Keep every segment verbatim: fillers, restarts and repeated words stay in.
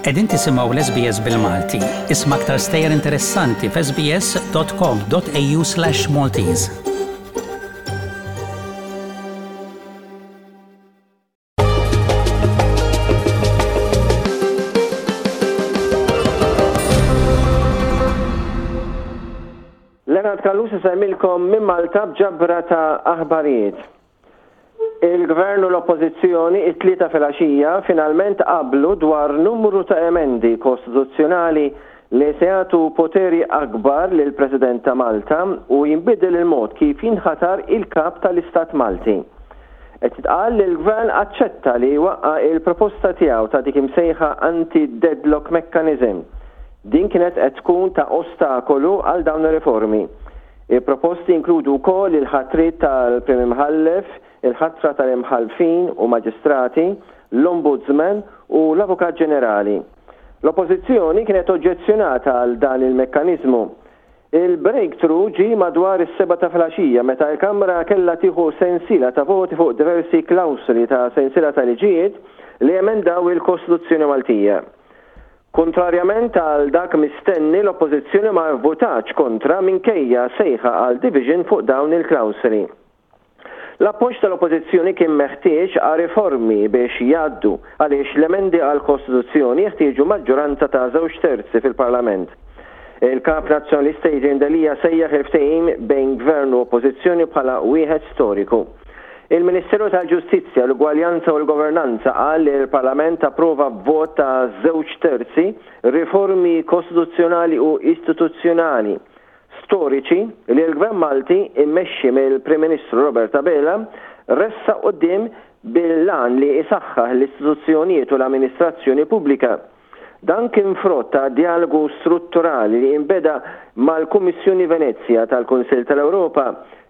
Qegħdin tisimgħu l-S B S bil-Malti. Isma' aktar stejjer interessanti f'S B S dot com dot A U slash Maltese. Leonard Callus isellmilkom minn Malta b'ġabra ta' aħbarijiet. Il-Gvern u l-Oppożizzjoni it-Tlieta filgħaxija finalment qablu dwar numru ta' emendi kostituzzjonali li se jagħtu poteri akbar lil President ta' Malta u jinbidel il-mod kif jinħatar il-kap tal-Istat Malti. Qed jitqal li l-Gvern aċċetta li waqqa il-proposta tiegħu ta' dik imsejħa anti-deadlock mechanism. Din kienet qed tkun ta' ostakolu għal dawn ir-riformi. Il-proposti inkludu wkoll il-ħatriet tal-Prim Imħallef, il-ħatra tal-imħallfin u maġistrati, l-Ombudsman u l-Avukat Ġenerali. L-Oppożizzjoni kienet oġġezzjonata għal dan il-mekkaniżmu. Il-breakthrough ġi madwar is-seba ta' filgħaxija, meta l-Kamra kellha tieħu sensiela ta' voti fuq diversi klawsoli ta' sensiela ta' liġijiet li emendaw il-Kostituzzjoni Maltija. Kontrarjament għal dak mistenni, l-Oppożizzjoni ma votatx kontra minkejja sejħa għal division fuq dawn il-klawsoli. L-appoġġ tal-Oppożizzjoni kien meħtieġ għal riformi biex jgħaddu, għaliex l-emendi għal Kostituzzjoni jeħtieġu maġġoranza ta' żewġ terzi fil-Parlament. Il-kap nazzjonalista Adrian Delia sejjaħ il-ftehim bejn gvern u oppożizzjoni bħala wieħed storiku. Il-Ministeru tal-Ġustizzja, l-Ugwaljanza u l-Governanza qal li l-Parlament approva b'vot ta' żewġ terzi riformi kostituzzjonali u istituzzjonali storiċi li l-Gvern Malti immexxi mill-Prim Ministru Robert Abela ressaq quddiem bil-għan li isaħħaħ l-istituzzjonijiet u l-amministrazzjoni pubblika. Dan kien frott ta' dialogu strutturali li imbeda mal-Kummissjoni Venezja tal-Kunsill tal-Ewropa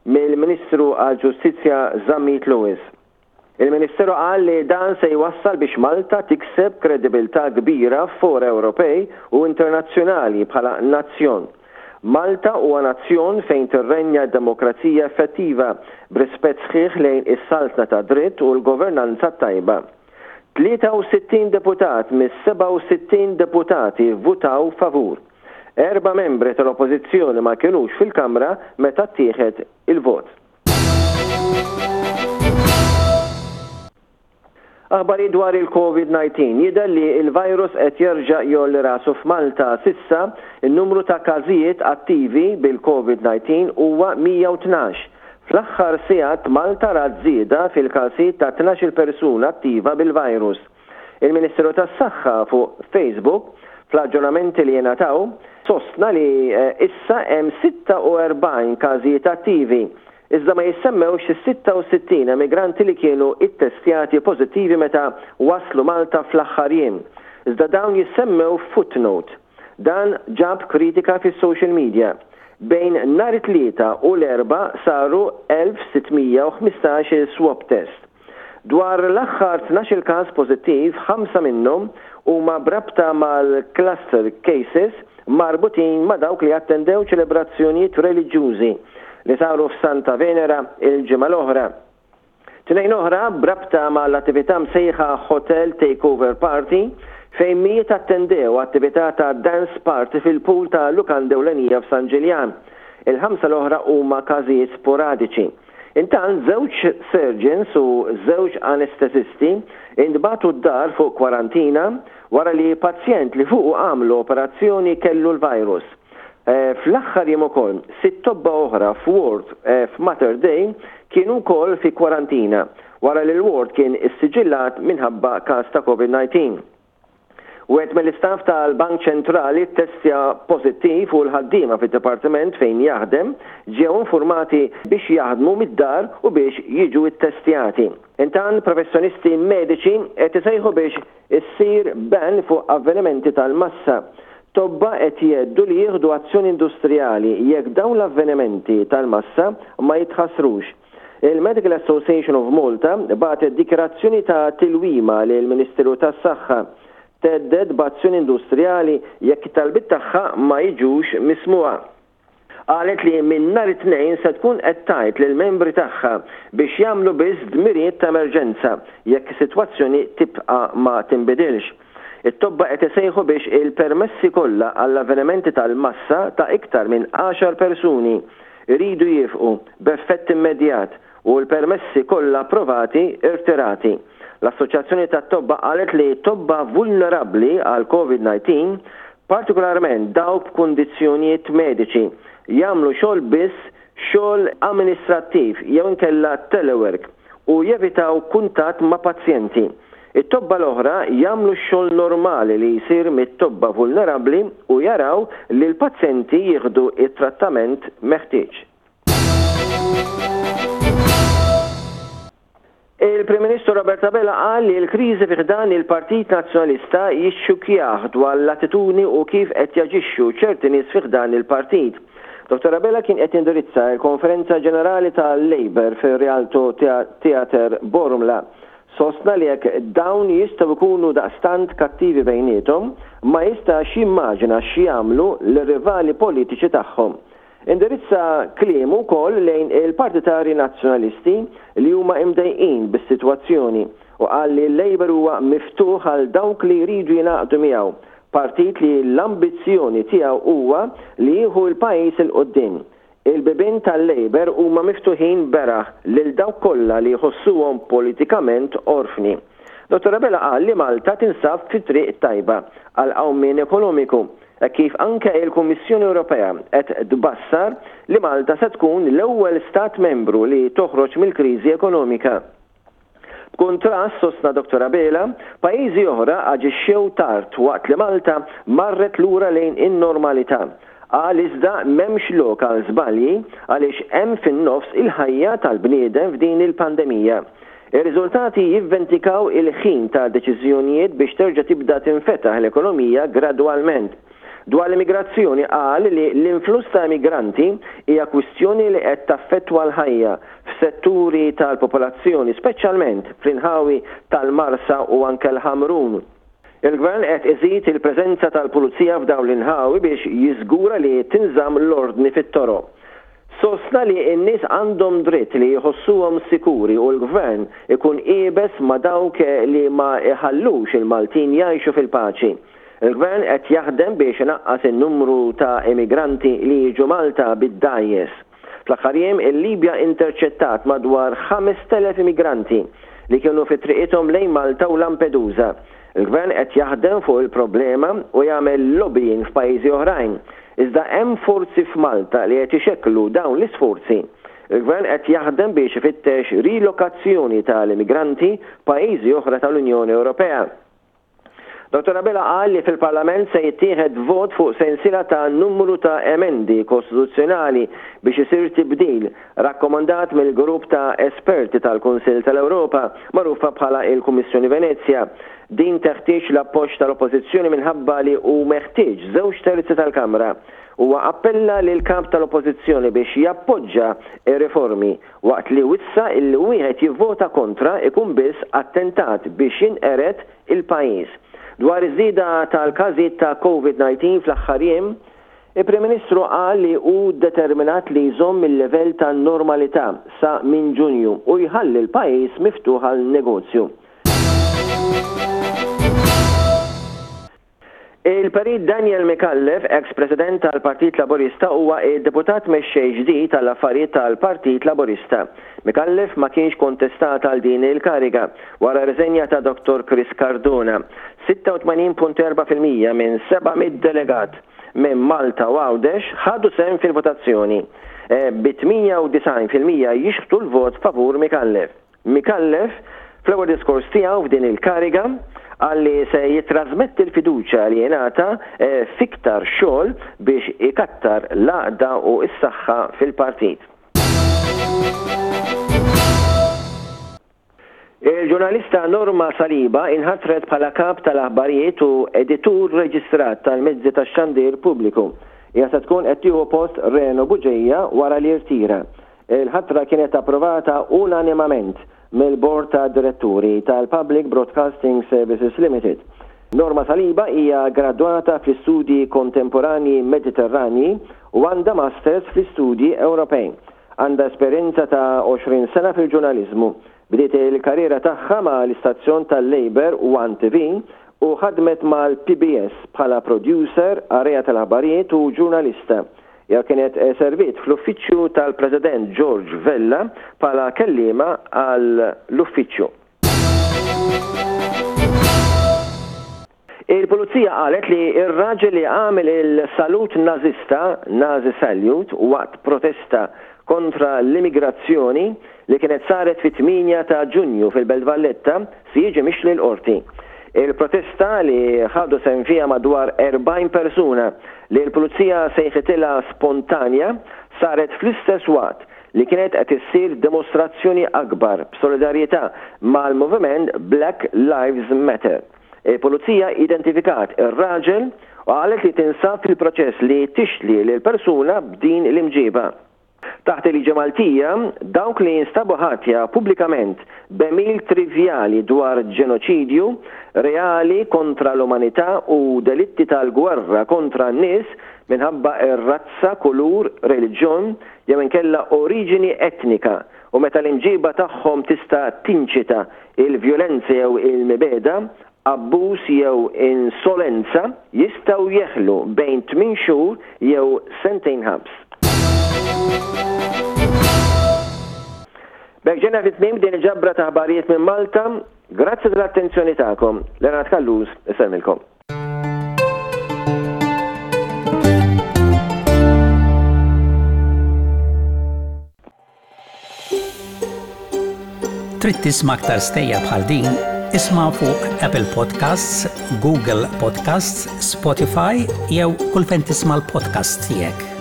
mill-Ministru għal-Ġustizzja Zammit Lewis. Il-Ministeru qal li dan se jwassal biex Malta tikseb kredibilità kbira f'fora Ewropej u internazzjonali bħala nazzjon. Malta huwa nazzjon fejn tirrenja demokrazija effettiva b'rispett sħiħ lejn is-saltna ta' dritt u l-governanza tajba. tlieta u sittin deputat mis-sebgħa u sittin deputati votaw favur. Erba' membri tal-Oppożizzjoni ma kienux fil-Kamra meta ttieħed il-vot. Aħbari dwar il-Covid nineteen. Jidher li il-virus qed jerġa' jgħolli rasu f'Malta. S'issa, il-numru ta' każijiet attivi bil-Covid nineteen huwa mija u tnax. Fl-aħħar sigħat Malta rat żieda fil-każijiet ta' tnax-il persuna attiva bil-virus. Il-Ministeru tas-Saħħa fuq Facebook, fl-aġġornamenti li jingħataw, sostna li eh, issa hemm sitta u erbgħin każijiet attivi, iżda ma jissemmewx is-sitta u sittin emigranti li kienu ittestjati pożittivi meta waslu Malta fl-aħħar jiem. Iżda dawn jissemmew footnote. Dan ġab kritika fis-social media. Bejn nhar it-Tlieta u l-Erbgħa saru elf sittmija u ħmistax swab test. Dwar l-aħħar tnax-il każ pożittiv, ħamsa minnhom huma brabta mal-cluster cases marbutin ma' dawk li attendew ċelebrazzjonijiet reliġjużi li saru f'Santa Venera il-ġimgħa l-oħra. Tnejn oħra brabta mal-attività msejħa Hotel Takeover Party, fejn mijiet attendew attività ta' dance party fil-pool ta' lukanda ewlenija f'San Ġiljan. Il-ħamsa l-oħra huma każijiet sporadiċi. Intant, żewġ surgeons u żewġ anestesisti intbagħtu d-dar fuq kwarantina wara li pazjent li fuq għamlu operazzjoni kellu l-virus. Eh, fl-aħħar jiem ukoll, sitt tobba oħra f'ward eh, f'Mater Dei kienu wkoll fi kwarantina wara li l-ward kien issiġillat minħabba każ ta' Covid nineteen. Wieħed mill-istaff tal-Bank Ċentrali testja pożittiv u l-ħaddiema fid-dipartiment fejn jaħdem ġew informati biex jaħdmu mid-dar u biex jiġu ittestjati. Intant, professjonisti mediċi qed isejħu biex issir ban fuq avvenimenti tal-massa. Tobba qed jgħidu li jieħdu azzjoni industrijali jekk dawn l-avvenimenti tal-massa ma jitħassrux. Il-Medical Association of Malta bagħtet dikjarazzjoni ta' tilwima lill-Ministeru tas-Saħħa, thedded b'azzjoni industrijali jekk it-talbiet tagħha ma jiġux mismugħa. Qalet li minn nhar it-Tnejn se tkun qed tgħid lill-membri tagħha biex jagħmlu biss dmirijiet ta' emerġenza jekk is-sitwazzjoni tibqa' ma tinbidilx. It-tobba qed isejħu biex il-permessi kollha għall-avvenimenti tal-massa ta' iktar minn għaxar persuni iridu jieqfu b'effett immedjat u l-permessi kollha approvati irtirati. L-Assoċjazzjoni tat-Tobba qalet li tobba vulnerabbli għal COVID dsatax, partikolarment dawk b'kundizzjonijiet mediċi, jagħmlu xogħol biss xogħol amministrattiv jew inkella telework u jevitaw kuntatt ma' pazjenti. It-tobba l-oħra jagħmlu x-xogħol normali li jsir mit-tobba vulnerabbli u jaraw li l-pazjenti jieħdu it-trattament meħtieġ. Il-Prim Ministru Robert Abela qal li l-kriżi fi ħdan il-Partit Nazzjonalista jixxukjah dwar l-attitudni u kif qed jaġixxu ċerti nies fi ħdan il-partit. Dottor Abela kien qed jindirizza l-Konferenza Ġenerali tal-Labour fir-Rialto Theatre Bormla. Sostna li jekk dawn jistgħu jkunu daqstant kattivi bejniethom, ma jistax jimmaġina x'jagħmlu l-rivali politiċi tagħhom. Indirizza kliemu wkoll lejn il-partitarji nazzjonalisti li huma imdejqin bis-sitwazzjoni u qal li l-Labour huwa miftuħ għal dawk li jridu jingħaqdu miegħu, partit li l-ambizzjoni tiegħu huwa li jieħu l-pajjiż 'il quddiem. Il-bibien tal-Labour huma miftuħin beraħ lil dawk kollha li jħossuhom politikament orfni. Dottor Abela qal li Malta tinsab fi triq tajba għal qawmien ekonomiku, kif anke il-Kummissjoni Ewropea qed tbassar li Malta se tkun l-ewwel stat membru li toħroġ mill-kriżi ekonomika. B'kuntrast, sostna Dottor Abela, pajjiżi oħra aġixxew tard waqt li Malta marret lura lejn in-normalità. Qal iżda m'hemmx lok għal żbalji għaliex hemm fin-nofs il-ħajja tal-bniedem f'din il-pandemija. Ir-riżultati jivventikaw il-ħin ta' deċiżjonijiet biex terġa' tibda tinfetaħ l-ekonomija gradwalment. Dwar l-immigrazzjoni qal li l-influss ta' immigranti hija kwistjoni li qed taffettwa l-ħajja f'setturi tal-popolazzjoni, speċjalment fl-inħawi tal-Marsa u anke l-Ħamrun. Il-Gvern qed iżid il-preżenza tal-pulizija f'dawn l-inħawi biex jiżgura li tinżamm l-ordni fit-toroq. Sostna li n-nies għandhom dritt li jħossuhom sikuri u l-Gvern ikun iebes ma' dawk li ma iħallux il-Maltin jgħixu fil-paċi. Il-Gvern qed jaħdem biex inaqqas in-numru ta' immigranti li jiġu Malta bid-dgħajjes. Fl-aħħar jiem il-Libja interċettat madwar ħamest elef immigranti li kienu fi triqithom lejn Malta u Lampedusa. Il-Gvern qed jaħdem fuq il-problema u jagħmel lobbying f'pajjiżi oħrajn. Iżda hemm forzi f'Malta li qed ixekklu dawn l-isforzi. Il-Gvern qed jaħdem biex ifittex rilokazzjoni tal-immigranti pajjiżi oħra tal-Unjoni Ewropea. Dottor Abela qal li fil-Parlament se jittieħed vot fuq sensiela ta' numru ta' emendi kostituzzjonali biex isir tibdil rakkomandat mill-grupp ta' esperti tal-Kunsill tal-Ewropa magħrufa bħala il-Kummissjoni Venezja. Din teħtieġ l-appoġġ tal-Oppożizzjoni minħabba li hu meħtieġ żewġ terzi tal-Kamra. Huwa appella lil kap tal-Oppożizzjoni biex jappoġġa ir-riformi waqt li wissa illi wieħed jivvota kontra ikun biss attentat biex jinqered il-pajjiż. Dwar iż-żieda tal-każijiet ta' COVID dsatax fl-aħħar jiem, il-Prim Ministru qal li hu determinat li jżomm il-livell ta' normalità sa minn Ġunju u jħalli l-pajjiż miftuħ għal negozju. Il-Perit Daniel Micallef, ex-president tal-Partit Laburista, huwa id-deputat mexxej ġdid tal-affarijiet tal-Partit Laburista. Micallef ma kienx kontestat għal din il-kariga wara riżenja ta' Dottor Chris Cardona. Sitta u tmenin punt erba' fil-mija minn seba' mitt delegat minn Malta u Għawdex ħadu sehem fil-votazzjoni, e, bi tmienja u disgħin fil-mija jixħtu l-vot favur Micallef. Micallef, fl-ewwel diskors tiegħu f'din il-kariga, qal li se jitrasmetti l-fiduċja li jingħata, e, fiktar xogħol biex ikattar l-għaqda u s-saħħa fil-partit. Il-ġurnalista Norma Saliba inħatret bħala kap tal-aħbarijiet u editur reġistrat tal-mezzi tax-xandir pubbliku. Hija se tkun qed tieħu post Reno Bugeja wara li rtira. Il-ħatra kienet approvata unanimament mill-Bord ta' Diretturi tal-Public Broadcasting Services Limited. Norma Saliba hija gradwata fl-istudji kontemporanji Mediterranji u għandha masters fl-istudji Ewropej. Għandha esperjenza ta' għoxrin sena fil-ġurnaliżmu. Bdiet il-karriera tagħha ma' l-istazzjon tal-Labour One T V u ħadmet mal-P B S bħala producer, qarrejja tal-aħbarijiet u ġurnalista. Hija kienet serviet fl-uffiċċju tal-President George Vella bħala kellima għall-uffiċċju. Il-pulizija qalet li ir-raġel li għamel il-salut nazista, Nazi Salute, waqt protesta kontra l-immigrazzjoni li kienet saret fit-tmienja ta' Ġunju fil-Belt Valletta si jiġi mixli l-qorti. Il-protesta, li ħadu sehem fiha madwar erbgħin persuna, li l-pulizija sejħitilha spontanja, saret fl-istess waqt li kienet qed issir dimostrazzjoni akbar b'solidarjetà mal-moviment Black Lives Matter. Il-pulizija identifikat ir-raġel u qalet li tinsab fil-proċess li tixli lil persuna b'din l-imġiba. Taħt il-liġi Maltija, dawk li jinstabu ħatja pubblikament b'għemil trivjali dwar ġenoċidju reali kontra l-umanità u delitti tal-gwerra kontra n-nies minħabba ir-razza, kulur, reliġjon jew inkella oriġini etnika u meta l-imġiba tagħhom tista' tinċita il-vjolenza jew il-mibegħda, abbuż jew insolenza, jistgħu jeħlu bejn tmien xhur jew sentejn ħabs. B'hekk ġejna fi tmiem din il-ġabra ta' aħbarijiet minn Malta. Grazzi tal-attenzjoni tagħkom. Leonard Callus, isellmilkom. Trid tisma' aktar stejjer bħal din? Isma' fuq Apple Podcasts, Google Podcasts, Spotify jew kull fejn tisma' l-podcast tiegħek.